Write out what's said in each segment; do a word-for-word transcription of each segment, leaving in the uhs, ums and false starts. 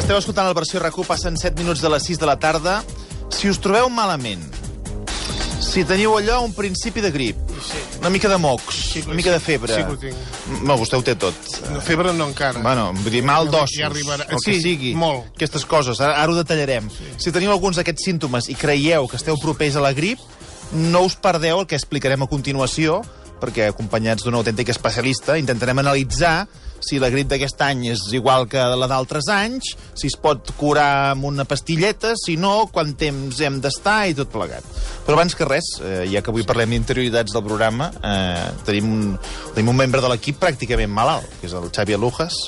Esteu escoltant la versió RAC u, passen set minuts de les sis de la tarda. Si us trobeu malament, si teniu allò un principi de grip, sí. una mica de mocs, sí, una mica de febre... Sí que ho tinc. No, vostè ho té tot. No, febre no encara. Bueno, vull dir, mal d'ossos, ja arribarà. el que sí, sigui. Molt. Aquestes coses, ara, ara ho detallarem. Sí. Si teniu alguns d'aquests símptomes i creieu que esteu propers a la grip, no us perdeu el que explicarem a continuació, perquè acompanyats d'un autèntic especialista intentarem analitzar si la grip d'aquest any és igual que la d'altres anys, si es pot curar amb una pastilleta, si no, quant temps hem d'estar i tot plegat. Però abans que res, eh, ja que avui parlem d'interioritats del programa, eh, tenim, un, tenim un membre de l'equip pràcticament malalt, que és el Xavi Alujas.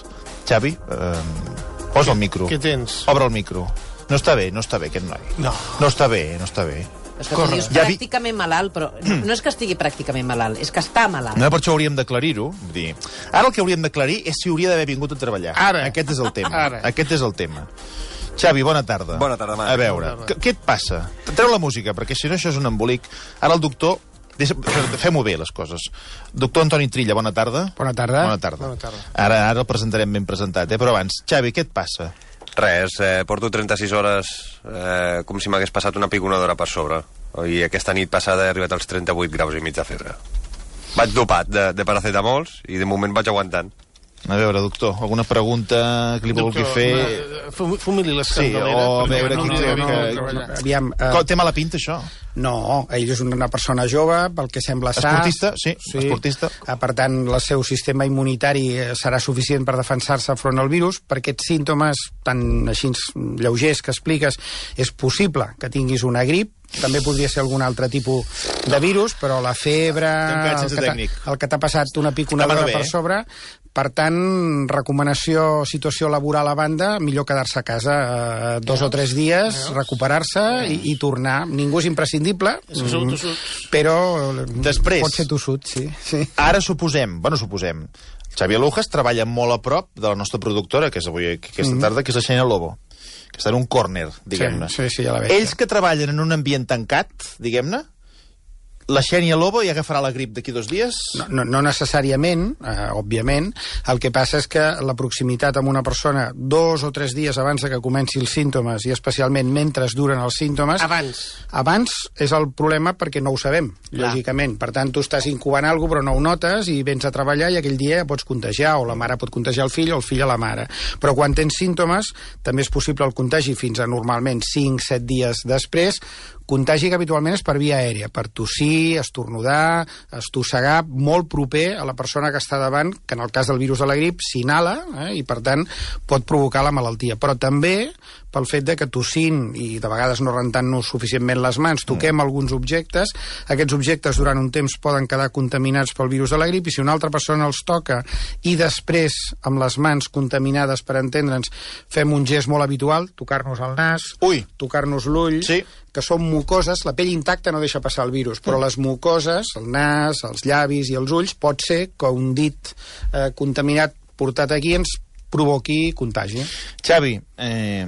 Xavi, eh, posa el micro. Què tens? Obre el micro. No està bé, no està bé aquest noi. No. No està bé, no està bé. És que tu dius Ja vi- pràcticament malalt, però no és que estigui pràcticament malalt, és que està malalt. No, per això hauríem d'aclarir-ho. Vull dir, ara el que hauríem d'aclarir és si hauria d'haver vingut a treballar. Ara. Aquest és el tema. Ara. Aquest és el tema. Xavi, bona tarda. Bona tarda, Marc. A veure, Bona què, què et passa? Treu la música, perquè si no això és un embolic. Ara el doctor... Deixa, fem-ho bé, les coses. Doctor Antoni Trilla, bona tarda. Bona tarda. Bona tarda. Bona tarda. Ara, ara el presentarem ben presentat, eh? Però abans, Xavi, què et passa? Res, eh, porto trenta-sis hores eh, com si m'hagués passat una piconadora per sobre. I aquesta nit passada he arribat als trenta-vuit graus i mig de febre. Vaig dopat de, de paracetamols i de moment vaig aguantant. A veure, doctor, alguna pregunta que li vulgui fer? Fum, fumili les Sí, candelera. o a perquè veure no qui hauria té d'haver que- vingut a treballar. Aviam, eh, Com, té mala pinta, això? no, ell és una persona jove, pel que sembla sa. Esportista, sí, esportista. Eh, Per tant, el seu sistema immunitari eh, serà suficient per defensar-se front al virus. Per aquests símptomes tan així lleugers que expliques, és possible que tinguis una grip, també podria ser algun altre tipus de virus, però la febre, T'hem quedat el sense que t'ha- tècnic. el que t'ha passat una piconadora Demano bé, per eh? sobre, per tant, recomanació, situació laboral a banda, millor quedar-se a casa eh, dos o tres dies, recuperar-se i, i tornar. Ningú és imprescindible, És que sou mm, tossuts. però Després. pot ser tossut, sí. sí. Ara suposem, bueno, suposem, Xavi Alujas treballa molt a prop de la nostra productora, que és avui aquesta tarda, que és la Xènia Lobo, que està en un córner, diguem-ne. Sí, sí, sí, ja la veig. Ells que treballen en un ambient tancat, diguem-ne, la Xènia Lobo ja agafarà la grip d'aquí dos dies? No, no, no necessàriament, eh, òbviament. El que passa és que la proximitat amb una persona dos o tres dies abans de que comenci els símptomes, i especialment mentre duren els símptomes... Abans. Abans és el problema perquè no ho sabem, lògicament. Per tant, tu estàs incubant alguna cosa però no ho notes i vens a treballar i aquell dia pots contagiar, o la mare pot contagiar el fill o el fill a la mare. Però quan tens símptomes també és possible el contagi fins a normalment cinc set dies després. Contagi que habitualment és per via aèria, per tossir, estornudar, estossegar, molt proper a la persona que està davant, que en el cas del virus de la grip s'inhala, eh, i per tant pot provocar la malaltia. Però també pel fet de que tossint i de vegades no rentant-nos suficientment les mans, toquem mm. alguns objectes, aquests objectes durant un temps poden quedar contaminats pel virus de la grip, i si una altra persona els toca i després amb les mans contaminades, per entendre'ns, fem un gest molt habitual, tocar-nos el nas, Ui. tocar-nos l'ull, Sí. que són mucoses, la pell intacta no deixa passar el virus, però les mucoses, el nas, els llavis i els ulls, pot ser que un dit eh, contaminat portat aquí ens provoqui contagi. Xavi, eh,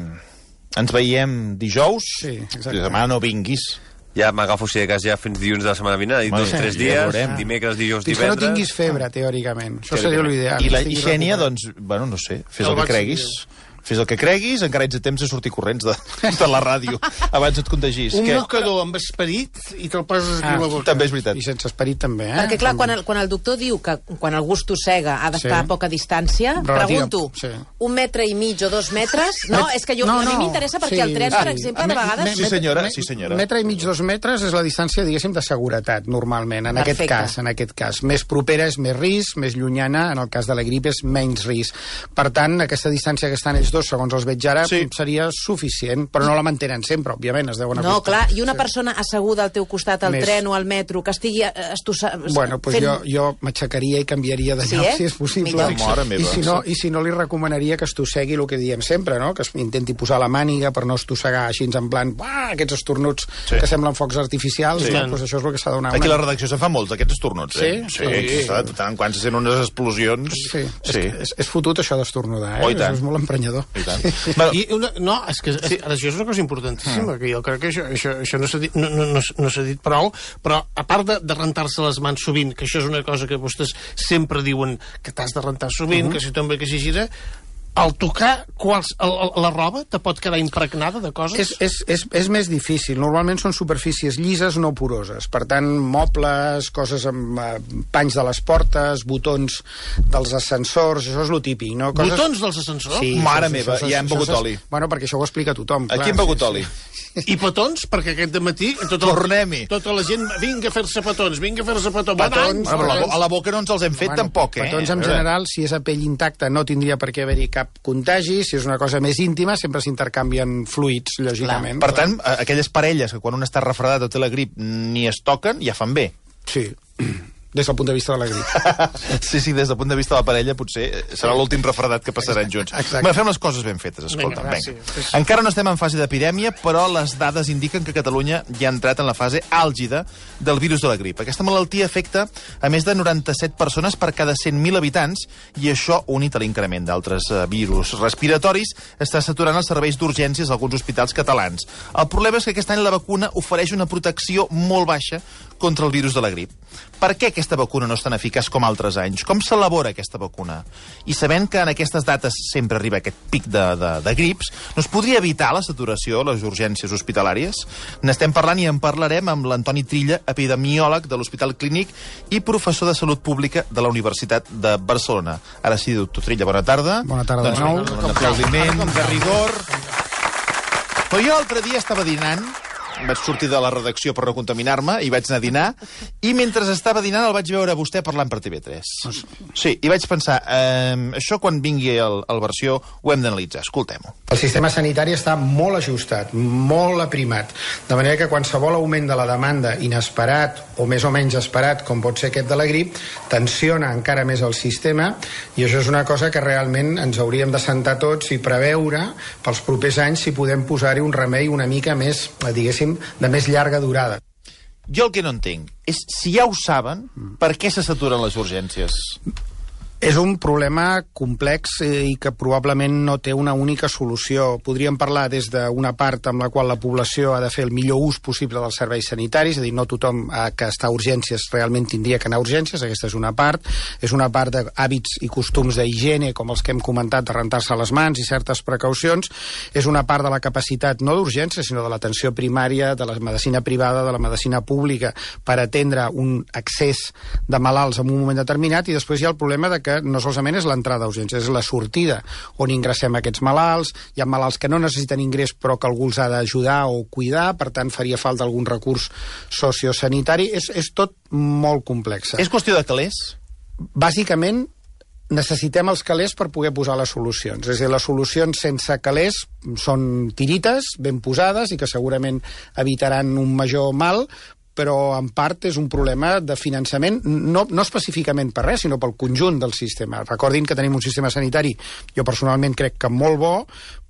ens veiem dijous. Sí, exacte. Demà no vinguis. Ja m'agafo, si de cas, ja fins dilluns de la setmana vinent, i Bueno, dos o tres ja dies, veurem. dimecres, dijous, Fins que no divendres... tinguis febre, teòricament. Això seria l'ideal. I la que estiguis Xènia, recuperat. doncs, bueno, no sé, fes El el que vaig creguis. Fes el que creguis, encara ets a temps de sortir corrents de, de la ràdio abans et contagis. Un Què? mocador amb esperit i te'l poses aquí Ah, a la boca. També és veritat. I sense esperit també, eh? Perquè, clar, quan el, quan el doctor diu que quan algú es tossega ha d'estar Sí. a poca distància, Relativa, pregunto, sí. un metre i mig o dos metres? No, és que jo, No, a mi no, m'interessa perquè sí, el tren, sí. per exemple, de Me- vegades... Sí, senyora, sí, senyora. Metre i mig, dos metres és la distància, diguéssim, de seguretat, normalment, en Perfecte. aquest cas, en aquest cas. Més propera és més risc, més llunyana, en el cas de la grip, és menys risc. Per tant, aquesta distància que estan ells dos, segons els veig ara, Sí. seria suficient, però no la mantenen sempre, òbviament, es deuen No, acostar. clar, i una persona asseguda al teu costat al Més. tren o al metro, que estigui eh, estossa... Bueno, doncs fent... jo, jo m'aixecaria i canviaria de Sí, lloc, eh? si és possible. Millor. Mare meva. I si, no, I si no, li recomanaria que estossegui el que diem sempre, no? Que es intenti posar la màniga per no estossegar així en plan, uah, aquests estornuts Sí. que semblen focs artificials, Sí. no? Doncs això és el que s'ha de donar. Aquí a una- la redacció se'n fan molts, aquests estornuts, eh? Sí? Sí, sí. De tant en quant se sent unes explosions. Sí, Sí. És, és, és fotut això d'estornudar, eh? Oh, i tant. És molt emprenyador. I tant. Bueno, I una, no, és que sí. ara, això és una cosa importantíssima, que jo crec que això, això, això no s'ha dit, no, no, no, no s'ha dit prou, però a part de, de rentar-se les mans sovint, que això és una cosa que vostès sempre diuen que t'has de rentar sovint, uh -huh. que si tomba, que si gira, al tocar quals, el, el, la roba te pot quedar impregnada de coses? És, és, és, és més difícil. Normalment són superfícies llises, no poroses. Per tant, mobles, coses amb eh, panys de les portes, botons dels ascensors, això és lo típic, no? Coses... Botons dels ascensors? Sí, Mare això, meva, això, ja hem això, begut això, oli. Bueno, perquè això ho explica tothom. Aquí clar, hem begut sí, oli. Sí. I petons? Perquè aquest dematí tot el, Tornem-hi. tota la gent vinga a fer-se petons, vinga a fer-se petons. Petons, Bueno, però a la, a la boca no ens els hem fet Bueno, tampoc, eh? Petons, en general, si és a pell intacta, no tindria per què haver-hi cap contagi. Si és una cosa més íntima, sempre s'intercanvien fluids, lògicament. Per tant, aquelles parelles que quan un està refredat o té la grip ni es toquen, ja fan bé. Sí, des del punt de vista de la grip. Sí, sí, des del punt de vista de la parella potser serà l'últim refredat que passaran junts. Exacte. Bé, fem les coses ben fetes, escolta. Vinga, va, Vinga. sí. Encara no estem en fase d'epidèmia, però les dades indiquen que Catalunya ja ha entrat en la fase àlgida del virus de la grip. Aquesta malaltia afecta a més de noranta-set persones per cada cent mil habitants i això, unit a l'increment d'altres eh, virus respiratoris, està saturant els serveis d'urgències d'alguns hospitals catalans. El problema és que aquest any la vacuna ofereix una protecció molt baixa contra el virus de la grip. Per què aquesta vacuna no és tan eficaç com altres anys? Com s'elabora aquesta vacuna? I sabent que en aquestes dates sempre arriba aquest pic de, de, de grips, no es podria evitar la saturació a les urgències hospitalàries? N'estem parlant i en parlarem amb l'Antoni Trilla, epidemiòleg de l'Hospital Clínic i professor de Salut Pública de la Universitat de Barcelona. Ara sí, doctor Trilla, bona tarda. Bona tarda doncs, de nou. Un aplaudiment de rigor. Però jo l'altre dia estava dinant, vaig sortir de la redacció per no contaminar-me i vaig anar a dinar, i mentre estava dinant el vaig veure a vostè parlant per T V tres. Sí, i vaig pensar, eh, això quan vingui el, el versió ho hem d'analitzar, escoltem-ho. El sistema sanitari està molt ajustat, molt aprimat, de manera que qualsevol augment de la demanda inesperat o més o menys esperat, com pot ser aquest de la grip, tensiona encara més el sistema, i això és una cosa que realment ens hauríem de sentar tots i preveure pels propers anys si podem posar-hi un remei una mica més, diguéssim, de més llarga durada. Jo el que no entenc és, si ja ho saben, per què se saturen les urgències? És un problema complex i que probablement no té una única solució. Podríem parlar des d'una part amb la qual la població ha de fer el millor ús possible dels serveis sanitaris, és a dir, no tothom que està a urgències realment tindria que anar a urgències, aquesta és una part. És una part d'hàbits i costums d'higiene, com els que hem comentat, de rentar-se les mans i certes precaucions. És una part de la capacitat, no d'urgències, sinó de l'atenció primària, de la medicina privada, de la medicina pública, per atendre un excés de malalts en un moment determinat, i després hi ha el problema de que no solament és l'entrada a urgències, és la sortida, on ingressem aquests malalts. Hi ha malalts que no necessiten ingrés però que algú els ha d'ajudar o cuidar, per tant faria falta algun recurs sociosanitari. És, és tot molt complex. És qüestió de calés? Bàsicament, necessitem els calés per poder posar les solucions. És a dir, les solucions sense calés són tirites, ben posades, i que segurament evitaran un major mal, però en part és un problema de finançament, no, no específicament per res, sinó pel conjunt del sistema. Recordin que tenim un sistema sanitari, jo personalment crec que molt bo,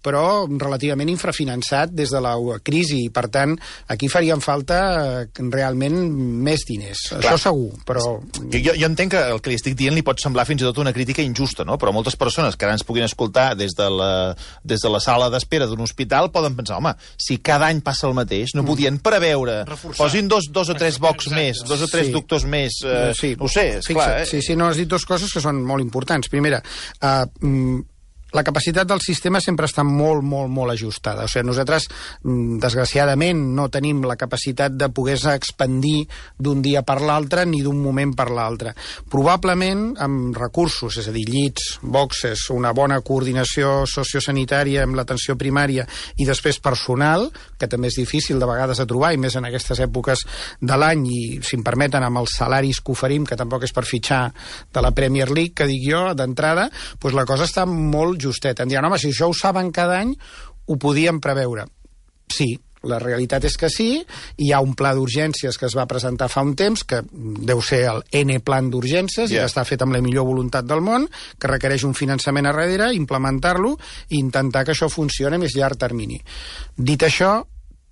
però relativament infrafinançat des de la crisi, i per tant aquí farien falta realment més diners. Clar. Això segur, però... Jo, jo entenc que el que li estic dient li pot semblar fins i tot una crítica injusta, no? Però moltes persones que ara ens puguin escoltar des de la, des de la sala d'espera d'un hospital poden pensar, home, si cada any passa el mateix, no podien preveure, reforçar. Posin dos, dos o tres bocs més, dos o tres sí. doctors més, eh, sí. no ho sé, esclar, eh? Sí, sí, no, has dit dues coses que són molt importants. Primera, eh, la capacitat del sistema sempre està molt, molt, molt ajustada. O sigui, nosaltres, desgraciadament, no tenim la capacitat de poder-se expandir d'un dia per l'altre ni d'un moment per l'altre. Probablement, amb recursos, és a dir, llits, boxes, una bona coordinació sociosanitària amb l'atenció primària i després personal, que també és difícil de vegades de trobar, i més en aquestes èpoques de l'any, i, si em permeten, amb els salaris que oferim, que tampoc és per fitxar de la Premier League, que dic jo, d'entrada, doncs la cosa està molt justet. Em diran, home, si això ho saben cada any, ho podíem preveure. Sí, la realitat és que sí. Hi ha un pla d'urgències que es va presentar fa un temps, que deu ser el N plan d'urgències, yeah. i que està fet amb la millor voluntat del món, que requereix un finançament a darrere, implementar-lo i intentar que això funcioni a més llarg termini. Dit això,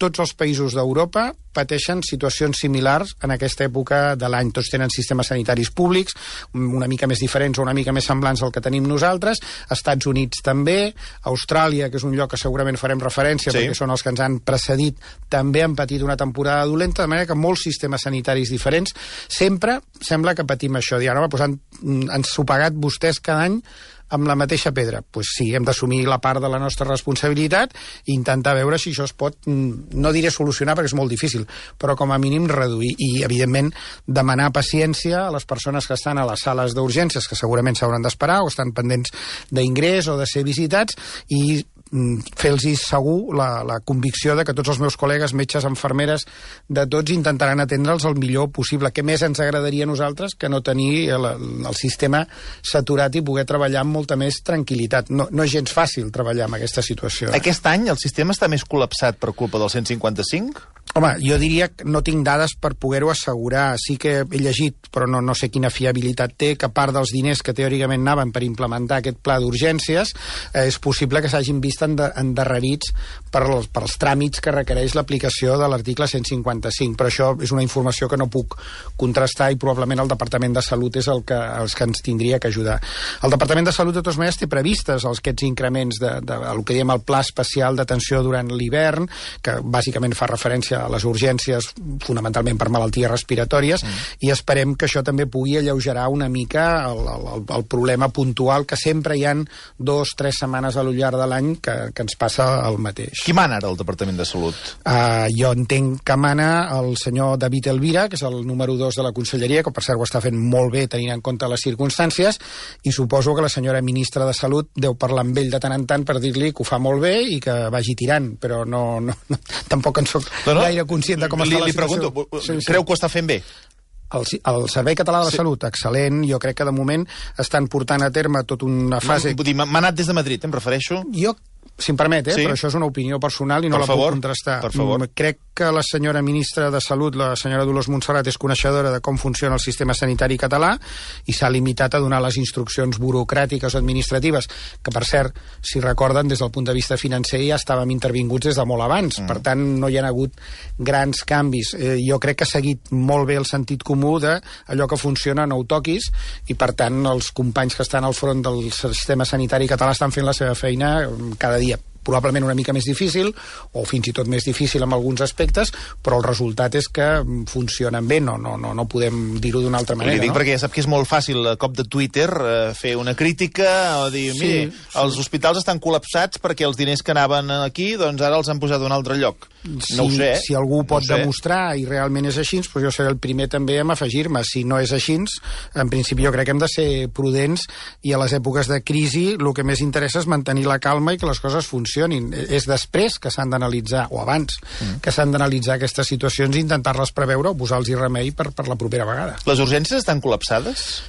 tots els països d'Europa pateixen situacions similars en aquesta època de l'any. Tots tenen sistemes sanitaris públics, una mica més diferents o una mica més semblants al que tenim nosaltres. Estats Units també, Austràlia, que és un lloc que segurament farem referència, sí. perquè són els que ens han precedit, també han patit una temporada dolenta, de manera que molts sistemes sanitaris diferents sempre sembla que patim això. Diuen, home, doncs han, han sopegat vostès cada any amb la mateixa pedra? Doncs pues sí, hem d'assumir la part de la nostra responsabilitat i intentar veure si això es pot, no diré solucionar perquè és molt difícil, però com a mínim reduir i, evidentment, demanar paciència a les persones que estan a les sales d'urgències, que segurament s'hauran d'esperar o estan pendents d'ingrés o de ser visitats, i fer-los segur la, la convicció de que tots els meus col·legues, metges, infermeres, de tots intentaran atendre'ls el millor possible. Què més ens agradaria a nosaltres que no tenir el, el sistema saturat i poder treballar amb molta més tranquil·litat. No, no és gens fàcil treballar en aquesta situació. Eh? Aquest any el sistema està més col·lapsat per culpa del cent cinquanta-cinc? Home, jo diria que no tinc dades per poder-ho assegurar. Sí que he llegit, però no, no sé quina fiabilitat té, que part dels diners que teòricament anaven per implementar aquest pla d'urgències eh, és possible que s'hagin vist endarrerits per els, per els tràmits que requereix l'aplicació de l'article cent cinquanta-cinc. Però això és una informació que no puc contrastar i probablement el Departament de Salut és el que, els que ens tindria que ajudar. El Departament de Salut, de totes maneres, té previstes aquests increments de, de, de el que diem el pla especial d'atenció durant l'hivern, que bàsicament fa referència a les urgències fonamentalment per malalties respiratòries, mm. i esperem que això també pugui alleugerar una mica el, el, el problema puntual que sempre hi han dos, tres setmanes a lo llarg de l'any que, que ens passa el mateix. Qui mana ara al Departament de Salut? Uh, jo entenc que mana el senyor David Elvira, que és el número dos de la Conselleria, que per cert ho està fent molt bé tenint en compte les circumstàncies, i suposo que la senyora ministra de Salut deu parlar amb ell de tant en tant per dir-li que ho fa molt bé i que vagi tirant, però no, no, no tampoc en soc no, no. gaire conscient de com li, està la li situació. Pregunto, sí, sí. Creu que ho està fent bé? El, el Servei Català de la sí. Salut, excel·lent. Jo crec que de moment estan portant a terme tota una fase... No, vull dir, m'ha anat des de Madrid, em refereixo. Jo, si em permet, eh, sí? però això és una opinió personal i no per la favor, puc contrastar. Per favor. Crec que la senyora ministra de Salut, la senyora Dolors Montserrat, és coneixedora de com funciona el sistema sanitari català i s'ha limitat a donar les instruccions burocràtiques o administratives, que, per cert, si recorden, des del punt de vista financer ja estàvem intervinguts des de molt abans. Mm. Per tant, no hi ha hagut grans canvis. Eh, jo crec que ha seguit molt bé el sentit comú de allò que funciona no ho toquis, i, per tant, els companys que estan al front del sistema sanitari català estan fent la seva feina cada dia. Probablement una mica més difícil, o fins i tot més difícil en alguns aspectes, però el resultat és que funcionen bé, no, no, no, no podem dir-ho d'una altra manera. Li dic no? perquè ja sap que és molt fàcil, a cop de Twitter, eh, fer una crítica o dir, sí, mire, sí. els hospitals estan col·lapsats perquè els diners que anaven aquí, doncs ara els han posat a un altre lloc. Si, no ho sé. Si algú no pot demostrar i realment és així, doncs jo seré el primer també a afegir-me. Si no és així, en principi jo crec que hem de ser prudents i a les èpoques de crisi el que més interessa és mantenir la calma i que les coses funcionin. És després que s'han d'analitzar, o abans, mm. que s'han d'analitzar aquestes situacions i intentar-les preveure o posar-los remei per, per la propera vegada. Les urgències estan col·lapsades?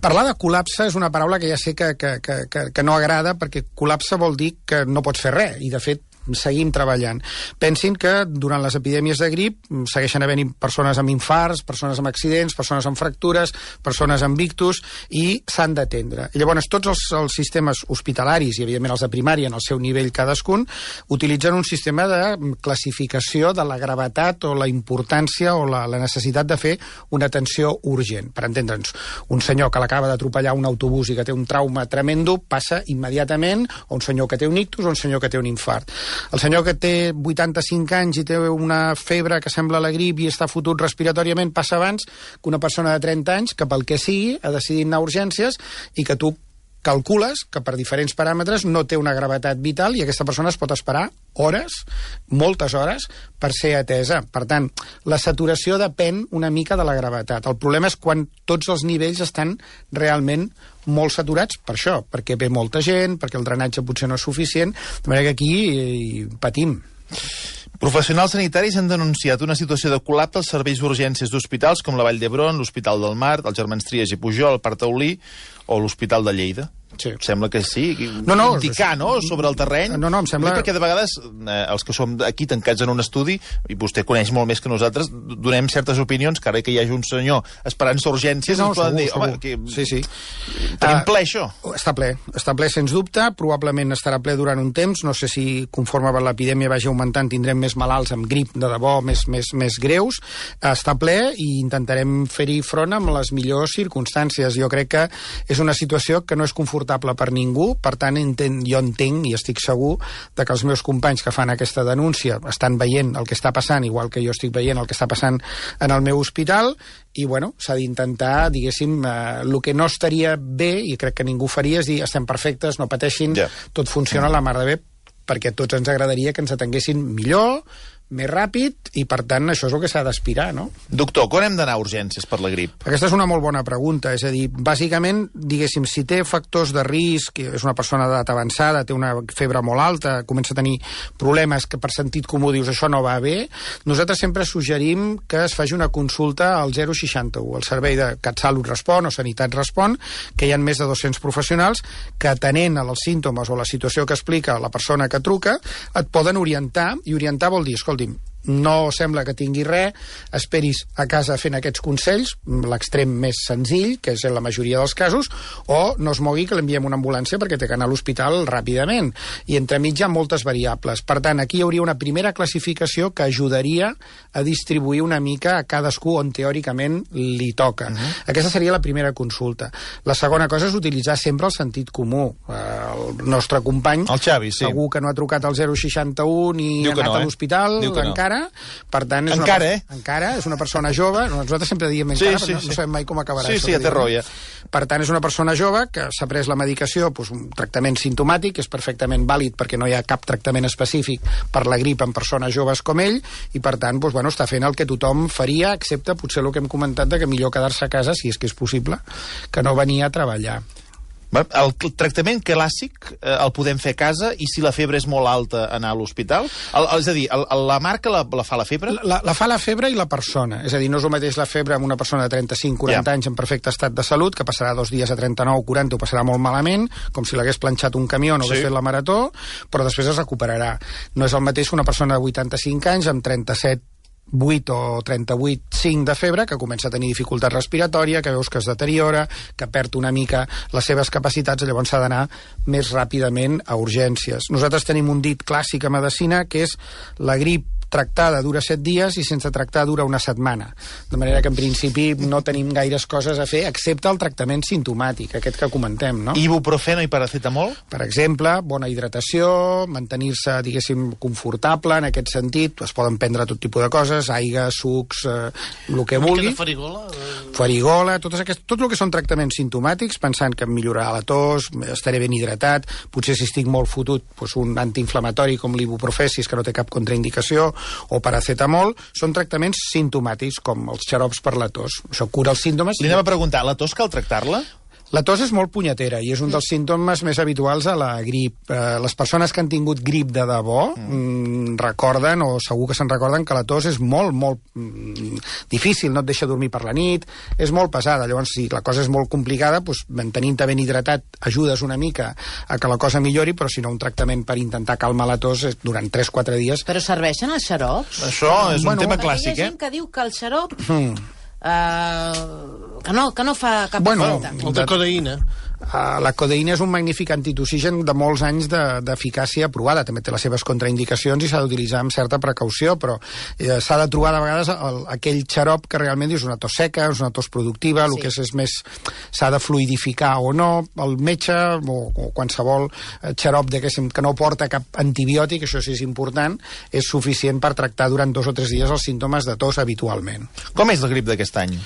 Parlar de col·lapse és una paraula que ja sé que, que, que, que, que no agrada, perquè col·lapse vol dir que no pots fer res, i de fet seguim treballant. Pensin que durant les epidèmies de grip segueixen havent persones amb infarts, persones amb accidents, persones amb fractures, persones amb ictus, i s'han d'atendre. I llavors tots els, els sistemes hospitalaris, i evidentment els de primària en el seu nivell cadascun, utilitzen un sistema de classificació de la gravetat o la importància o la, la necessitat de fer una atenció urgent. Per entendre'ns, un senyor que l'acaba d'atropellar un autobús i que té un trauma tremendo passa immediatament a un senyor que té un ictus o un senyor que té un infart. El senyor que té vuitanta-cinc anys i té una febre que sembla la grip i està fotut respiratòriament passa abans que una persona de trenta anys que pel que sigui ha decidit anar a urgències i que tu calcules que per diferents paràmetres no té una gravetat vital i aquesta persona es pot esperar hores, moltes hores, per ser atesa. Per tant, la saturació depèn una mica de la gravetat. El problema és quan tots els nivells estan realment molt saturats per això, perquè ve molta gent, perquè el drenatge potser no és suficient, de manera que aquí eh, patim. Professionals sanitaris han denunciat una situació de col·lapse als serveis d'urgències d'hospitals com la Vall d'Hebron, l'Hospital del Mar, els Germans Trias i Pujol, el Parc Taulí o l'Hospital de Lleida. Sí. Sembla que sí, no, no, indicar, no?, sobre el terreny. No, no, em sembla... Perquè de vegades eh, els que som aquí tancats en un estudi, i vostè coneix molt més que nosaltres, donem certes opinions, que ara que hi hagi un senyor esperant-se urgències, no, ens poden segur, dir, home, segur. que... Sí, sí. Tenim ple, això? Està ple, està ple, sens dubte, probablement estarà ple durant un temps, no sé si conforme l'epidèmia vagi augmentant tindrem més malalts amb grip de debò, més, més, més greus, està ple i intentarem fer-hi front amb les millors circumstàncies. Jo crec que és una situació que no és conforme confortable per ningú, per tant, entenc, jo entenc i estic segur de que els meus companys que fan aquesta denúncia estan veient el que està passant, igual que jo estic veient el que està passant en el meu hospital, i, bueno, s'ha d'intentar, diguéssim, eh, el que no estaria bé, i crec que ningú faria, és dir, estem perfectes, no pateixin, yeah. tot funciona a la mar de bé, perquè a tots ens agradaria que ens atenguessin millor, més ràpid, i per tant això és el que s'ha d'aspirar, no? Doctor, quan hem d'anar a urgències per la grip? Aquesta és una molt bona pregunta, és a dir, bàsicament, diguéssim, si té factors de risc, és una persona d'edat avançada, té una febre molt alta, comença a tenir problemes que per sentit comú dius això no va bé, nosaltres sempre suggerim que es faci una consulta al zero seixanta-u, el servei de CatSalut Respon o Sanitat Respon, que hi ha més de dos-cents professionals que, atenent als símptomes o la situació que explica la persona que truca, et poden orientar, i orientar vol dir, escolta, no sembla que tingui res, esperis a casa fent aquests consells, l'extrem més senzill, que és en la majoria dels casos, o no es mogui que l'enviem una ambulància perquè té que anar a l'hospital ràpidament. I entremig hi ha moltes variables. Per tant, aquí hi hauria una primera classificació que ajudaria a distribuir una mica a cadascú on teòricament li toca. Uh-huh. Aquesta seria la primera consulta. La segona cosa és utilitzar sempre el sentit comú. El nostre company, el Xavi, sí. segur que no ha trucat al zero seixanta-u ni Diu ha anat no, a l'hospital, eh? encara. Per tant, és encara, una, eh? Encara, és una persona jove. Nosaltres sempre diem encara, sí, sí, però no, sí. no sabem mai com acabarà. Sí, això, sí, ja té raó, ja. Per tant, és una persona jove que s'ha pres la medicació, doncs, un tractament simptomàtic, és perfectament vàlid perquè no hi ha cap tractament específic per la grip en persones joves com ell, i per tant, doncs, bueno, està fent el que tothom faria, excepte potser el que hem comentat de que millor quedar-se a casa, si és que és possible, que no venir a treballar. El tractament clàssic eh, el podem fer a casa, i si la febre és molt alta anar a l'hospital? És a dir, el, la marca la, la fa la febre? La, la fa la febre i la persona. És a dir, no és el mateix la febre amb una persona de trenta-cinc quaranta yeah. anys en perfecte estat de salut, que passarà dos dies a trenta-nou quaranta, ho passarà molt malament, com si l'hagués planxat un camió o no hagués sí. fet la marató, però després es recuperarà. No és el mateix que una persona de vuitanta-cinc anys amb trenta-set vuit o trenta-vuit coma cinc de febre, que comença a tenir dificultat respiratòria, que veus que es deteriora, que perd una mica les seves capacitats, i llavors s'ha d'anar més ràpidament a urgències. Nosaltres tenim un dit clàssic a medicina, que és la grip tractada dura set dies i sense tractar dura una setmana. De manera que, en principi, no tenim gaires coses a fer, excepte el tractament simptomàtic, aquest que comentem, no? Ibuprofeno i paracetamol? Per exemple, bona hidratació, mantenir-se, diguéssim, confortable, en aquest sentit, es poden prendre tot tipus de coses, aigua, sucs, eh, el que vulgui. Una farigola? Farigola, totes aquest, tot el que són tractaments simptomàtics, pensant que millorarà la tos, estaré ben hidratat, potser si estic molt fotut, doncs un antiinflamatori com l'ibuprofè, que no té cap contraindicació, o paracetamol, són tractaments simptomàtics, com els xarops per la tos. Això cura els símptomes. Li anem a preguntar, la tos cal tractar-la? La tos és molt punyetera i és un dels símptomes més habituals a la grip. Eh, les persones que han tingut grip de debò mm, recorden, o segur que se'n recorden, que la tos és molt, molt mm, difícil, no et deixa dormir per la nit, és molt pesada. Llavors, si la cosa és molt complicada, doncs, mantenint-te ben hidratat ajudes una mica a que la cosa millori, però si no, un tractament per intentar calmar la tos durant tres o quatre dies... Però serveixen els xarops? Això és bueno, un tema Hi clàssic, ha eh? gent que diu que el xarop... Mm. Uh, que, no, que no fa cap bueno, efecte. El de codeïna. Uh, la codeïna és un magnífic antitussigen de molts anys d'eficàcia de, provada. També té les seves contraindicacions i s'ha d'utilitzar amb certa precaució, però eh, s'ha de trobar de vegades el, aquell xarop que realment és una tos seca, és una tos productiva, sí. el que és, és més... s'ha de fluidificar o no. El metge o, o qualsevol xarop que no porta cap antibiòtic, això sí és important, és suficient per tractar durant dos o tres dies els símptomes de tos habitualment. Com és la grip d'aquest any?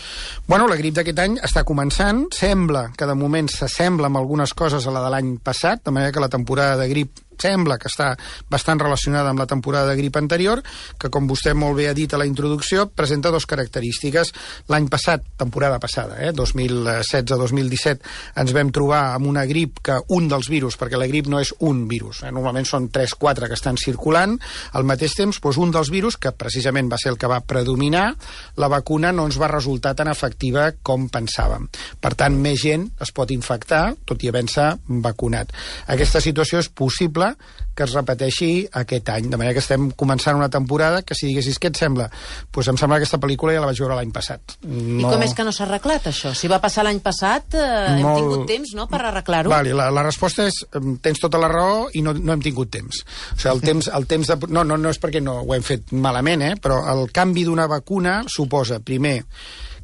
Bueno, la grip d'aquest any està començant. Sembla que de moment s'assembla amb algunes coses a la de l'any passat, de manera que la temporada de grip sembla que està bastant relacionada amb la temporada de grip anterior, que, com vostè molt bé ha dit a la introducció, presenta dues característiques. L'any passat, temporada passada, eh, dos mil setze dos mil disset, ens vam trobar amb una grip que un dels virus, perquè la grip no és un virus, eh, normalment són tres o quatre que estan circulant, al mateix temps, doncs un dels virus, que precisament va ser el que va predominar, la vacuna no ens va resultar tan efectiva com pensàvem. Per tant, més gent es pot infectar, tot i havent-se vacunat. Aquesta situació és possible que es repeteixi aquest any, de manera que estem començant una temporada que, si diguessis què et sembla, doncs em sembla que aquesta pel·lícula ja la vaig veure l'any passat. No... I com és que no s'ha arreglat això? Si va passar l'any passat, eh, Molt... hem tingut temps, no?, per arreglar-ho. Vale, la, la resposta és, tens tota la raó i no, no hem tingut temps. O sigui, el temps, el temps de... No, no, no és perquè no ho hem fet malament, eh? Però el canvi d'una vacuna suposa, primer,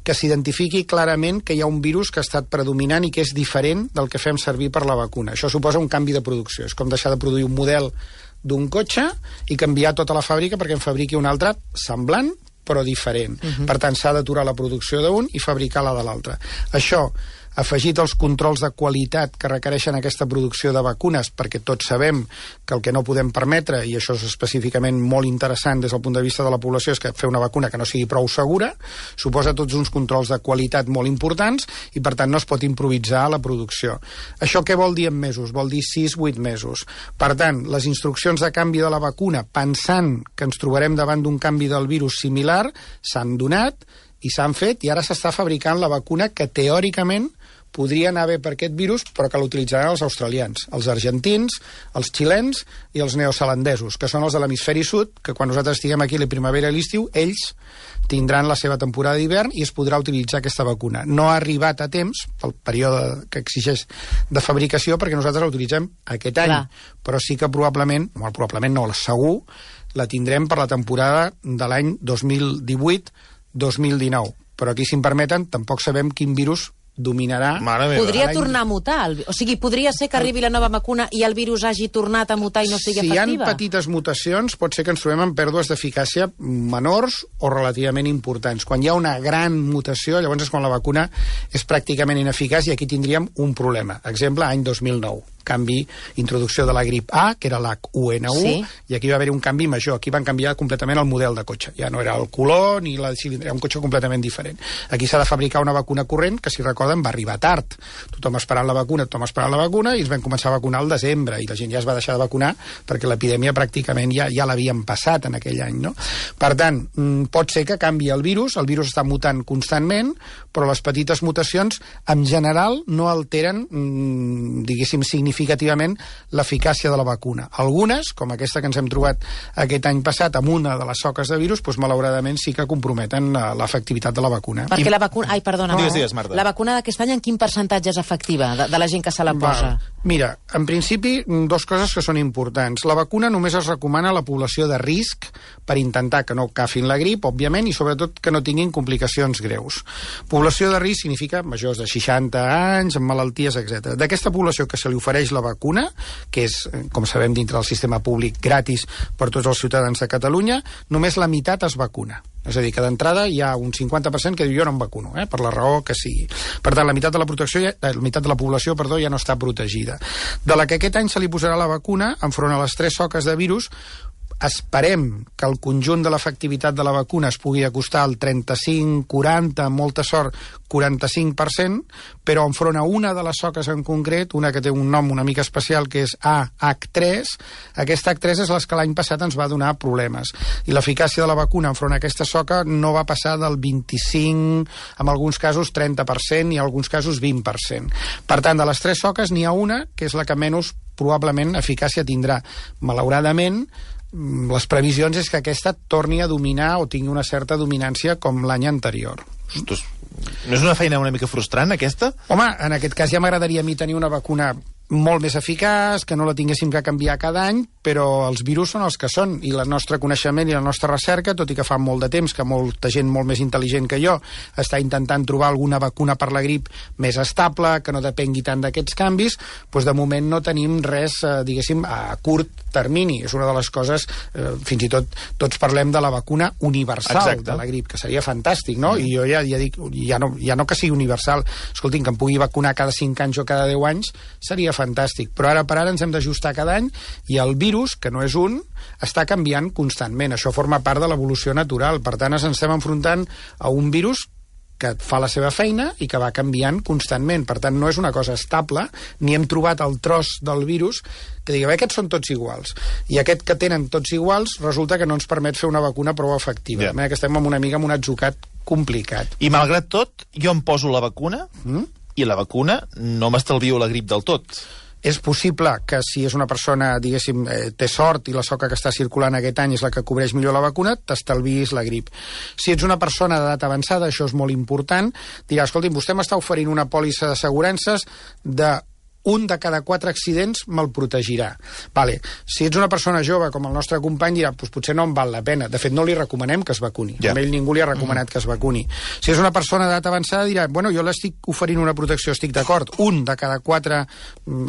que s'identifiqui clarament que hi ha un virus que ha estat predominant i que és diferent del que fem servir per la vacuna. Això suposa un canvi de producció. És com deixar de produir un model d'un cotxe i canviar tota la fàbrica perquè en fabriqui un altre semblant, però diferent. Uh-huh. Per tant, s'ha d'aturar la producció d'un i fabricar la de l'altre. Això, afegit als controls de qualitat que requereixen aquesta producció de vacunes, perquè tots sabem que el que no podem permetre, i això és específicament molt interessant des del punt de vista de la població, és que fer una vacuna que no sigui prou segura, suposa tots uns controls de qualitat molt importants i, per tant, no es pot improvisar la producció. Això què vol dir en mesos? Vol dir sis a vuit mesos. Per tant, les instruccions de canvi de la vacuna, pensant que ens trobarem davant d'un canvi del virus similar, s'han donat i s'han fet, i ara s'està fabricant la vacuna que teòricament podria anar bé per aquest virus, però que l'utilitzaran els australians, els argentins, els xilens i els neozelandesos, que són els de l'hemisferi sud, que quan nosaltres estiguem aquí a la primavera i l'estiu, ells tindran la seva temporada d'hivern i es podrà utilitzar aquesta vacuna. No ha arribat a temps, pel període que exigeix de fabricació, perquè nosaltres la utilitzem aquest any, Clar. Però sí que probablement, no, probablement no, segur, la tindrem per la temporada de l'any dos mil divuit dos mil dinou. Però aquí, si em permeten, tampoc sabem quin virus dominarà... Podria tornar a mutar. El... O sigui, podria ser que arribi la nova vacuna i el virus hagi tornat a mutar i no sigui si efectiva? Si hi ha petites mutacions, pot ser que ens trobem amb pèrdues d'eficàcia menors o relativament importants. Quan hi ha una gran mutació, llavors és quan la vacuna és pràcticament ineficaç i aquí tindríem un problema. Exemple, any dos mil nou. Canvi, introducció de la grip A, que era l'H u ena u, sí. I aquí va haver un canvi major. Aquí van canviar completament el model de cotxe. Ja no era el color ni la cilindra, era un cotxe completament diferent. Aquí s'ha de fabricar una vacuna corrent que, si recorden, va arribar tard. Tothom esperant la vacuna, tothom esperant la vacuna, i es van començar a vacunar al desembre, i la gent ja es va deixar de vacunar perquè l'epidèmia pràcticament ja, ja l'havien passat en aquell any, no? Per tant, pot ser que canvi el virus, el virus està mutant constantment, però les petites mutacions, en general, no alteren, diguéssim, significativament l'eficàcia de la vacuna. Algunes, com aquesta que ens hem trobat aquest any passat amb una de les soques de virus, doncs, malauradament sí que comprometen l'efectivitat de la vacuna. Perquè la vacuna... Ai, perdona. No. Digues, digues, Marta. La vacuna d'aquest any en quin percentatge és efectiva de, de la gent que se la posa? Va. Mira, en principi, dos coses que són importants. La vacuna només es recomana a la població de risc per intentar que no agafin la grip, òbviament, i sobretot que no tinguin complicacions greus. Població de risc significa majors de seixanta anys, amb malalties, etcètera. D'aquesta població que se li ofereix la vacuna, que és, com sabem, dintre del sistema públic gratis per tots els ciutadans de Catalunya, només la meitat es vacuna. És a dir, que d'entrada hi ha un cinquanta per cent que diu jo no em vacuno, eh, per la raó que sigui. Per tant, la meitat de la protecció, ja, la meitat de la població, perdó, ja no està protegida. De la que aquest any se li posarà la vacuna, enfront a les tres soques de virus, esperem que el conjunt de l'efectivitat de la vacuna es pugui acostar al trenta-cinc, quaranta, amb molta sort, quaranta-cinc per cent, però enfront a una de les soques en concret, una que té un nom una mica especial, que és A H tres, aquesta H tres és la que l'any passat ens va donar problemes. I l'eficàcia de la vacuna enfront a aquesta soca no va passar del vint-i-cinc, en alguns casos trenta per cent i en alguns casos vint per cent. Per tant, de les tres soques n'hi ha una que és la que menys probablement eficàcia tindrà. Malauradament, les previsions és que aquesta torni a dominar o tingui una certa dominància com l'any anterior. Ostres, no és una feina una mica frustrant, aquesta? Home, en aquest cas ja m'agradaria a mi tenir una vacuna molt més eficaç, que no la tinguéssim que canviar cada any, però els virus són els que són, i el nostre coneixement i la nostra recerca, tot i que fa molt de temps que molta gent molt més intel·ligent que jo està intentant trobar alguna vacuna per la grip més estable, que no depengui tant d'aquests canvis, doncs de moment no tenim res, eh, diguéssim, a curt termini. És una de les coses, eh, fins i tot tots parlem de la vacuna universal. Exacte. De la grip, que seria fantàstic, no? Mm. I jo ja, ja dic, ja no, ja no que sigui universal, escoltin, que em pugui vacunar cada cinc anys o cada deu anys, seria fantàstic, però ara per ara ens hem d'ajustar cada any i el virus, que no és un, està canviant constantment. Això forma part de l'evolució natural. Per tant, ens estem enfrontant a un virus que fa la seva feina i que va canviant constantment. Per tant, no és una cosa estable, ni hem trobat el tros del virus que digui, aquests són tots iguals. I aquest que tenen tots iguals resulta que no ens permet fer una vacuna prou efectiva. Yeah. De manera que estem amb una mica amb un atzucat complicat. I malgrat tot, jo em poso la vacuna mm? i la vacuna no m'estalvio la grip del tot. És possible que si és una persona, diguéssim, eh, té sort i la soca que està circulant aquest any és la que cobreix millor la vacuna, t'estalvis la grip. Si ets una persona d'edat avançada, això és molt important, dirà, escolti'm, vostè m'està oferint una pòlissa d'assegurances de un de cada quatre accidents me'l protegirà. Vale. Si ets una persona jove, com el nostre company, dirà, pues potser no em val la pena. De fet, no li recomanem que es vacuni. Ja. A ell ningú li ha recomanat mm. que es vacuni. Si és una persona d'edat avançada, dirà, bueno, jo l'estic oferint una protecció, estic d'acord. Un de cada quatre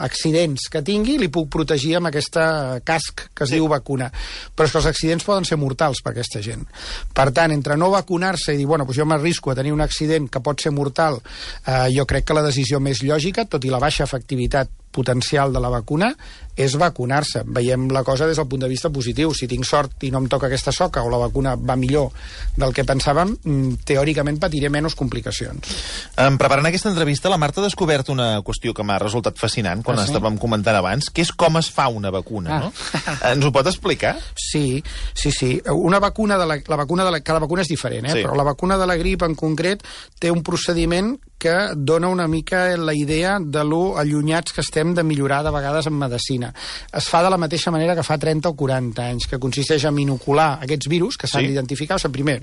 accidents que tingui li puc protegir amb aquesta casc que es sí. diu vacuna. Però és que els accidents poden ser mortals per aquesta gent. Per tant, entre no vacunar-se i dir, bueno, doncs jo m'arrisco a tenir un accident que pot ser mortal, eh, jo crec que la decisió més lògica, tot i la baixa efectivitat potencial de la vacuna, és vacunar-se. Veiem la cosa des del punt de vista positiu. Si tinc sort i no em toca aquesta soca o la vacuna va millor del que pensàvem, teòricament patiré menys complicacions. En preparant aquesta entrevista, la Marta ha descobert una qüestió que m'ha resultat fascinant quan ah, sí? estàvem comentant abans, que és com es fa una vacuna, ah. no? Ens ho pot explicar? Sí, sí, sí. Una vacuna de la, la vacuna de la, cada vacuna és diferent, eh? Sí. Però la vacuna de la grip en concret té un procediment que dona una mica la idea de lo allunyats que estem de millorar de vegades en medicina. Es fa de la mateixa manera que fa trenta o quaranta anys, que consisteix en inocular aquests virus que s'han sí. d'identificar. O sigui, primer,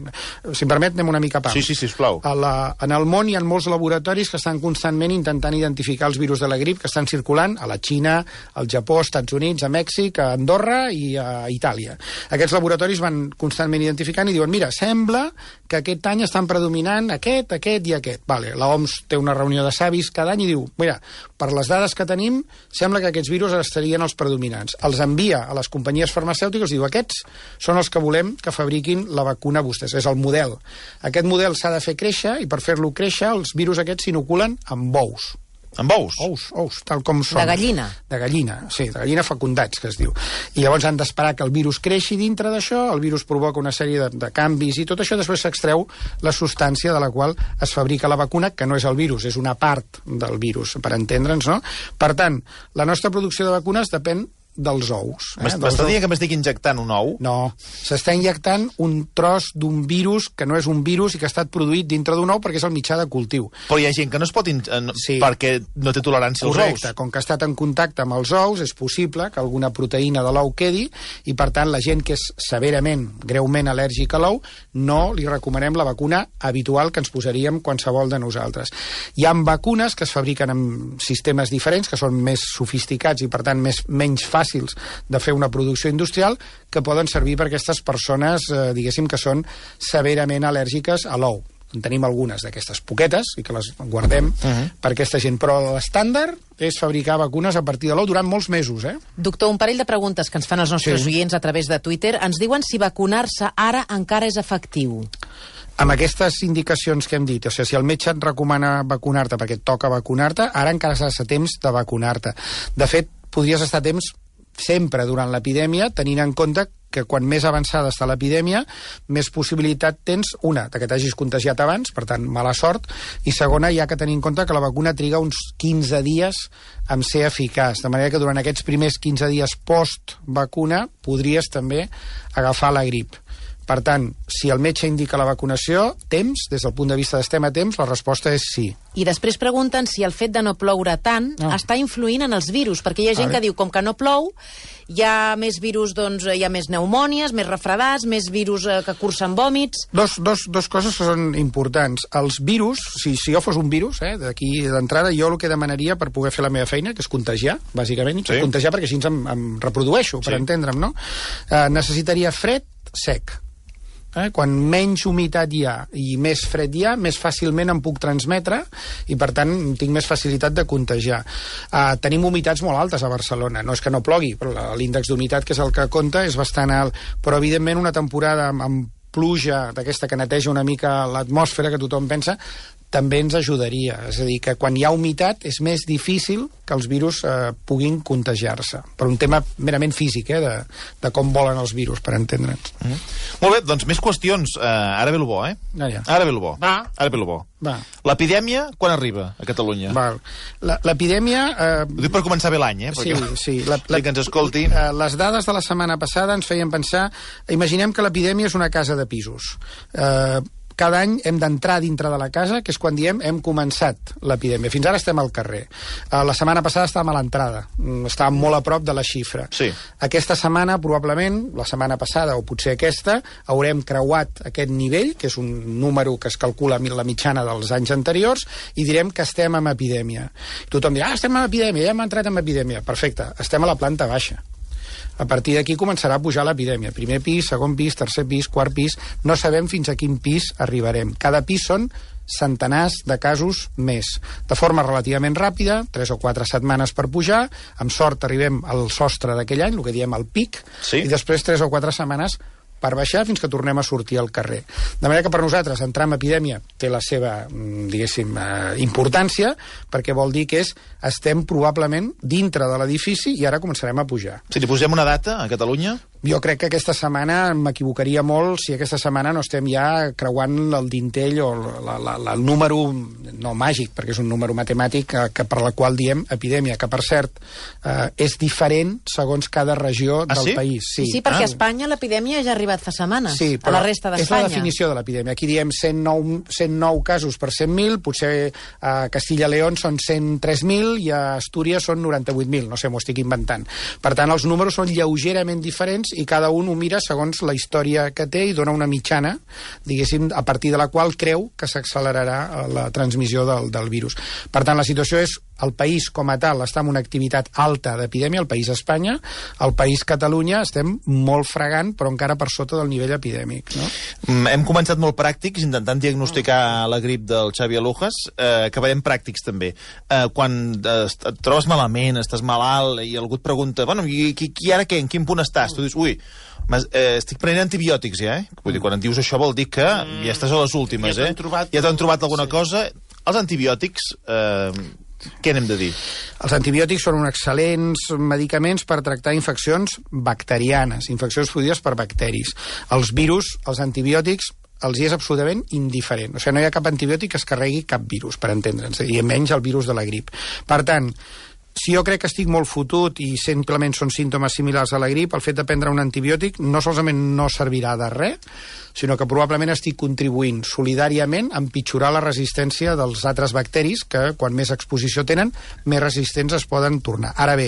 si em permet, anem una mica a pam. Sí, sí, sisplau. A la, en el món hi ha molts laboratoris que estan constantment intentant identificar els virus de la grip que estan circulant a la Xina, al Japó, als Estats Units, a Mèxic, a Andorra i a Itàlia. Aquests laboratoris van constantment identificant i diuen, mira, sembla que aquest any estan predominant aquest, aquest i aquest. Vale, la O M S té una reunió de savis cada any i diu, mira, per les dades que tenim, sembla que aquests virus estarien els predominants. Els envia a les companyies farmacèutiques i diu, aquests són els que volem que fabriquin la vacuna a vostès. És el model. Aquest model s'ha de fer créixer i per fer-lo créixer els virus aquests s'inoculen amb ous. Amb ous? Ous, ous, tal com són. De gallina? De gallina, sí, de gallina fecundats, que es diu. I llavors han d'esperar que el virus creixi dintre d'això, el virus provoca una sèrie de, de canvis i tot això, després s'extreu la substància de la qual es fabrica la vacuna, que no és el virus, és una part del virus, per entendre'ns, no? Per tant, la nostra producció de vacunes depèn dels ous. Eh? M'està dient que m'estic injectant un ou? No, s'està injectant un tros d'un virus que no és un virus i que ha estat produït dintre d'un ou perquè és el mitjà de cultiu. Però hi ha gent que no es pot... In... Sí. perquè no té tolerància als Correcte. ous. Com que ha estat en contacte amb els ous, és possible que alguna proteïna de l'ou quedi i, per tant, la gent que és severament, greument al·lèrgica a l'ou, no li recomanem la vacuna habitual que ens posaríem qualsevol de nosaltres. Hi ha vacunes que es fabriquen amb sistemes diferents, que són més sofisticats i, per tant, més, menys fàcils de fer una producció industrial, que poden servir per aquestes persones, eh, diguéssim, que són severament al·lèrgiques a l'ou. En tenim algunes d'aquestes poquetes i que les guardem uh -huh. per aquesta gent. Però l'estàndard és fabricar vacunes a partir de l'ou durant molts mesos, eh? Doctor, un parell de preguntes que ens fan els nostres sí. oients a través de Twitter. Ens diuen si vacunar-se ara encara és efectiu. Amb aquestes indicacions que hem dit, o sigui, si el metge et recomana vacunar-te perquè et toca vacunar-te, ara encara has de temps de vacunar-te. De fet, podries estar a temps sempre durant l'epidèmia, tenint en compte que quan més avançada està l'epidèmia, més possibilitat tens, una, que t'hagis contagiat abans, per tant, mala sort, i segona, hi ha que tenir en compte que la vacuna triga uns quinze dies en ser eficaç, de manera que durant aquests primers quinze dies post-vacuna podries també agafar la grip. Per tant, si el metge indica la vacunació, temps, des del punt de vista d'estem a temps, la resposta és sí. I després pregunten si el fet de no ploure tant no. està influint en els virus, perquè hi ha gent que diu, com que no plou, hi ha més virus, doncs, hi ha més pneumònies, més refredats, més virus eh, que cursen vòmits... Dos, dos, dos coses que són importants. Els virus, si, si jo fos un virus, eh, d'aquí d'entrada, jo el que demanaria per poder fer la meva feina, que és contagiar, bàsicament, sí. contagiar perquè així em, em reprodueixo, per sí. entendre'm, no? Eh, necessitaria fred, sec. Eh? Quan menys humitat hi ha i més fred hi ha, més fàcilment em puc transmetre i, per tant, tinc més facilitat de contagiar. Uh, tenim humitats molt altes a Barcelona. No és que no plogui, però l'índex d'humitat, que és el que compta, és bastant alt. Però, evidentment, una temporada amb, amb pluja d'aquesta que neteja una mica l'atmosfera, que tothom pensa, també ens ajudaria. És a dir, que quan hi ha humitat és més difícil que els virus eh, puguin contagiar-se. Per un tema merament físic, eh, de, de com volen els virus, per entendre'ns. Mm -hmm. Molt bé, doncs més qüestions. Uh, ara ve el bo, eh? Ah, ja. Ara ve el bo. Va. Ara ve el bo. Va. L'epidèmia, quan arriba a Catalunya? Val. L'epidèmia... Eh, Ho dic per començar bé l'any, eh? Sí, Perquè sí. La, la, que ens escolti... Eh, les dades de la setmana passada ens feien pensar... Imaginem que l'epidèmia és una casa de pisos. Eh, cada any hem d'entrar dintre de la casa, que és quan diem hem començat l'epidèmia. Fins ara estem al carrer. Uh, la setmana passada estàvem a l'entrada, estàvem molt a prop de la xifra. Sí. Aquesta setmana, probablement, la setmana passada o potser aquesta, haurem creuat aquest nivell, que és un número que es calcula la mitjana dels anys anteriors, i direm que estem en epidèmia. Tothom dirà, ah, estem en epidèmia, ja hem entrat en epidèmia. Perfecte, estem a la planta baixa. A partir d'aquí començarà a pujar l'epidèmia. Primer pis, segon pis, tercer pis, quart pis... No sabem fins a quin pis arribarem. Cada pis són centenars de casos més. De forma relativament ràpida, tres o quatre setmanes per pujar, amb sort arribem al sostre d'aquell any, el que diem el pic, sí. I després tres o quatre setmanes per baixar fins que tornem a sortir al carrer. De manera que per nosaltres entrar en epidèmia té la seva, diguéssim, eh, importància, perquè vol dir que és, estem probablement dintre de l'edifici i ara començarem a pujar. Si li posem una data a Catalunya? Jo crec que aquesta setmana m'equivocaria molt si aquesta setmana no estem ja creuant el dintell o la, la, la, el número, no màgic, perquè és un número matemàtic que, que per la qual diem epidèmia, que per cert eh, és diferent segons cada regió ah, del sí? país. Sí, sí, perquè ah. a Espanya l'epidèmia ja ha arribat fa setmanes, sí, a la resta d'Espanya. És la definició de l'epidèmia. Aquí diem cent nou, cent nou casos per cent mil, potser a Castilla-León són cent tres mil i a Astúries són noranta-vuit mil, no sé, m'ho estic inventant. Per tant, els números són lleugerament diferents i cada un ho mira segons la història que té i dona una mitjana, diguéssim, a partir de la qual creu que s'accelerarà la transmissió del, del virus. Per tant, la situació és el país com a tal està en una activitat alta d'epidèmia, el país Espanya, el país Catalunya estem molt fregant, però encara per sota del nivell epidèmic. No? Mm, hem començat molt pràctics, intentant diagnosticar la grip del Xavi Alujas. Eh, acabarem pràctics, també. Eh, quan eh, et trobes malament, estàs malalt, i algú et pregunta, bueno, i, i, i ara què? En quin punt estàs? Tu dius, ui, eh, estic prenent antibiòtics, ja, eh? Vull dir, quan em dius això vol dir que ja estàs a les últimes, ja eh? trobat, ja t'han trobat alguna sí. cosa. Els antibiòtics... Eh, què n'hem de dir? Els antibiòtics són uns excel·lents medicaments per tractar infeccions bacterianes, infeccions produïdes per bacteris. Els virus, els antibiòtics, els hi és absolutament indiferent. O sigui, no hi ha cap antibiòtic que es carregui cap virus, per entendre'ns, i menys el virus de la grip. Per tant, si jo crec que estic molt fotut i simplement són símptomes similars a la grip, el fet de prendre un antibiòtic no solament no servirà de res, sinó que probablement estic contribuint solidàriament a empitjorar la resistència dels altres bacteris que, quan més exposició tenen, més resistents es poden tornar. Ara bé,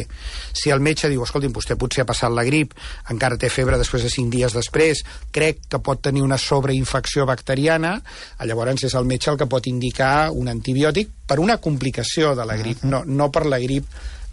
si el metge diu, escolti'm, vostè potser ha passat la grip, encara té febre després de cinc dies després, crec que pot tenir una sobreinfecció bacteriana, llavors és el metge el que pot indicar un antibiòtic per una complicació de la grip, no, no per la grip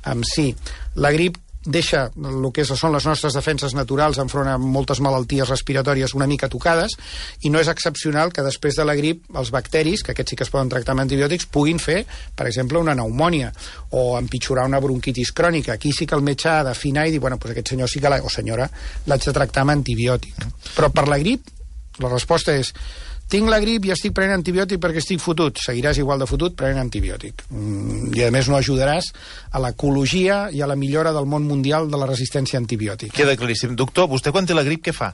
en si. La grip deixa el que són les nostres defenses naturals enfront a moltes malalties respiratòries una mica tocades, i no és excepcional que després de la grip els bacteris, que aquests sí que es poden tractar amb antibiòtics, puguin fer, per exemple, una pneumònia o empitjorar una bronquitis crònica. Aquí sí que el metge ha d'afinar i dir, bueno, doncs aquest senyor sí que la, o senyora l'haig de tractar amb antibiòtic. Però per la grip, la resposta és: tinc la grip i estic prenent antibiòtic perquè estic fotut. Seguiràs igual de fotut prenent antibiòtic. Mm, I a més no ajudaràs a l'ecologia i a la millora del món mundial de la resistència antibiòtica. Queda claríssim. Doctor, vostè quan té la grip què fa?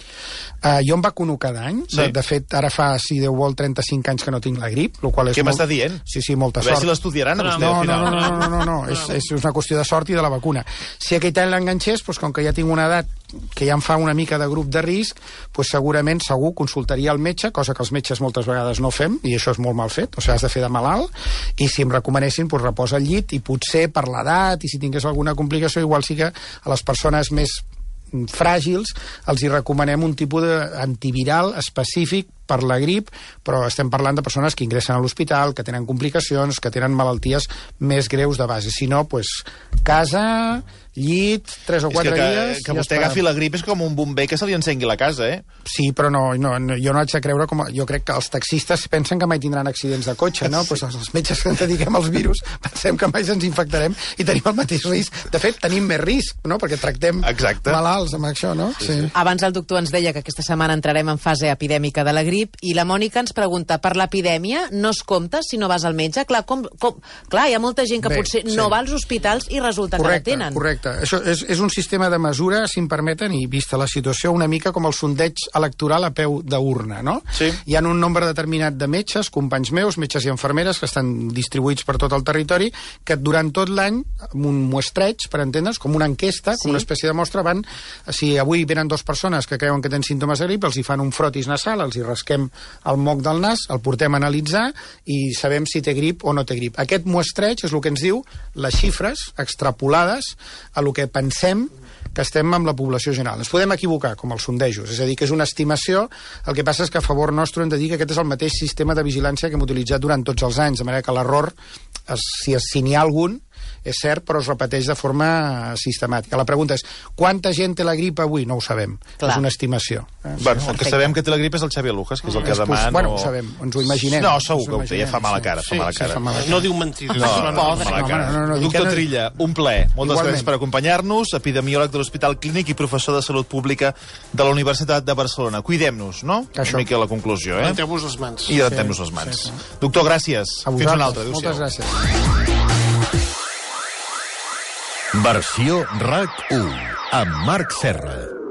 Uh, jo em vacuno cada any. Sí. De, de fet, ara fa, si Déu vol, trenta-cinc anys que no tinc la grip, lo qual és què molt... m'està dient? Sí, sí, molta a veure sort. si l'estudiaran a vostè no, al final. No, no, no, no, no, no. És, és una qüestió de sort i de la vacuna. Si aquest any l'enganxés, doncs, com que ja tinc una edat que ja em fa una mica de grup de risc, doncs segurament segur consultaria el metge, cosa que els metges moltes vegades no fem, i això és molt mal fet, o sigui, has de fer de malalt, i si em recomanessin, doncs reposa al llit, i potser per l'edat, i si tingués alguna complicació, igual sí que a les persones més fràgils els hi recomanem un tipus d'antiviral específic per la grip, però estem parlant de persones que ingressen a l'hospital, que tenen complicacions, que tenen malalties més greus de base. Si no, doncs, casa, llit, tres o quatre és que, dies... Que, que vostè agafi la grip és com un bomber que se li encengui la casa, eh? Sí, però no, no, no jo no haig de creure com... Jo crec que els taxistes pensen que mai tindran accidents de cotxe, no? Sí. Pues els metges que ens dediquem als virus pensem que mai ens infectarem i tenim el mateix risc. De fet, tenim més risc, no? Perquè tractem Exacte. malalts amb això, no? Sí, sí. Abans el doctor ens deia que aquesta setmana entrarem en fase epidèmica de la grip, i la Mònica ens pregunta, per l'epidèmia no es compta si no vas al metge? Clar, com, com, clar hi ha molta gent que Bé, potser sí. no va als hospitals i resulta correcte, que la tenen. Correcte. Exacte. Això és, és un sistema de mesura, si em permeten, i vista la situació, una mica com el sondeig electoral a peu d'urna, no? Sí. Hi ha un nombre determinat de metges, companys meus, metges i infermeres, que estan distribuïts per tot el territori, que durant tot l'any, amb un muestreig, per entendre's, com una enquesta, com Sí. una espècie de mostra, van, si avui venen dues persones que creuen que tenen símptomes de grip, els hi fan un frotis nasal, els hi rasquem el moc del nas, el portem a analitzar i sabem si té grip o no té grip. Aquest muestreig és el que ens diu les xifres extrapolades a el que pensem que estem amb la població general. Ens podem equivocar, com els sondejos, és a dir, que és una estimació, el que passa és que a favor nostre hem de dir que aquest és el mateix sistema de vigilància que hem utilitzat durant tots els anys, de manera que l'error, si, si n'hi ha algun, és cert, però es repeteix de forma sistemàtica. La pregunta és, quanta gent té la grip avui? No ho sabem. Clar. És una estimació. Eh? Bueno, el que sabem que té la grip és el Xavier Lujas, que és el que És demà pos- no... bueno, ho sabem, ens ho imaginem. No, segur Ens que ho té, ja fa mala cara, fa Sí, mala sí, cara. fa mala cara. No diu mentides. No, no, no, Pobre. mala No, cara. no, no, no, dic Doctor que no- Trilla, un plaer. Moltes Igualment. gràcies per acompanyar-nos, epidemiòleg de l'Hospital Clínic i professor de Salut Pública de la Universitat de Barcelona. Cuidem-nos, no? Això. Una mica la conclusió, eh? Renteu-vos les mans. I rentem-nos les mans. sí, sí. Doctor, gràcies. A Fins vosaltres. una altra. Adéu-siau. Moltes gràcies. Versió RAC u amb Marc Serra.